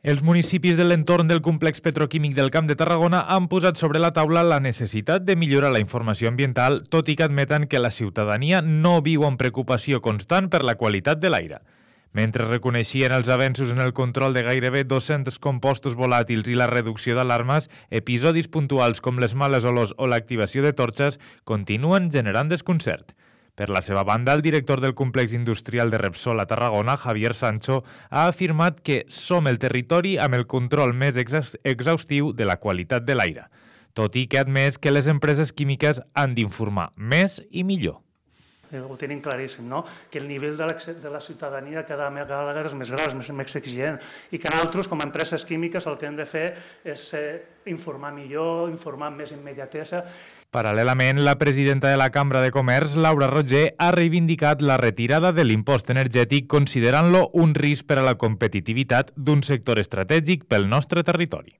Els municipis de l'entorn del complex petroquímic del Camp de Tarragona han posat sobre la taula la necessitat de millorar la informació ambiental, tot i que admeten que la ciutadania no viu amb preocupació constant per la qualitat de l'aire. Mentre reconeixien els avenços en el control de gairebé 200 compostos volàtils i la reducció d'alarmes, episodis puntuals com les males olors o l'activació de torxes continuen generant desconcert. Per la seva banda, el director del complex industrial de Repsol a Tarragona, Javier Sancho, ha afirmat que som el territori amb el control més exhaustiu de la qualitat de l'aire, tot i que ha admès que les empreses químiques han d'informar més i millor. Ho tenim claríssim, no? Que el nivell de la ciutadania cada vegada és més gran, és més exigent, i que nosaltres, com a empreses químiques, el que hem de fer és informar millor, informar amb més immediatesa. Paral·lelament, la presidenta de la Cambra de Comerç, Laura Roger, ha reivindicat la retirada de l'impost energètic considerant-lo un risc per a la competitivitat d'un sector estratègic pel nostre territori.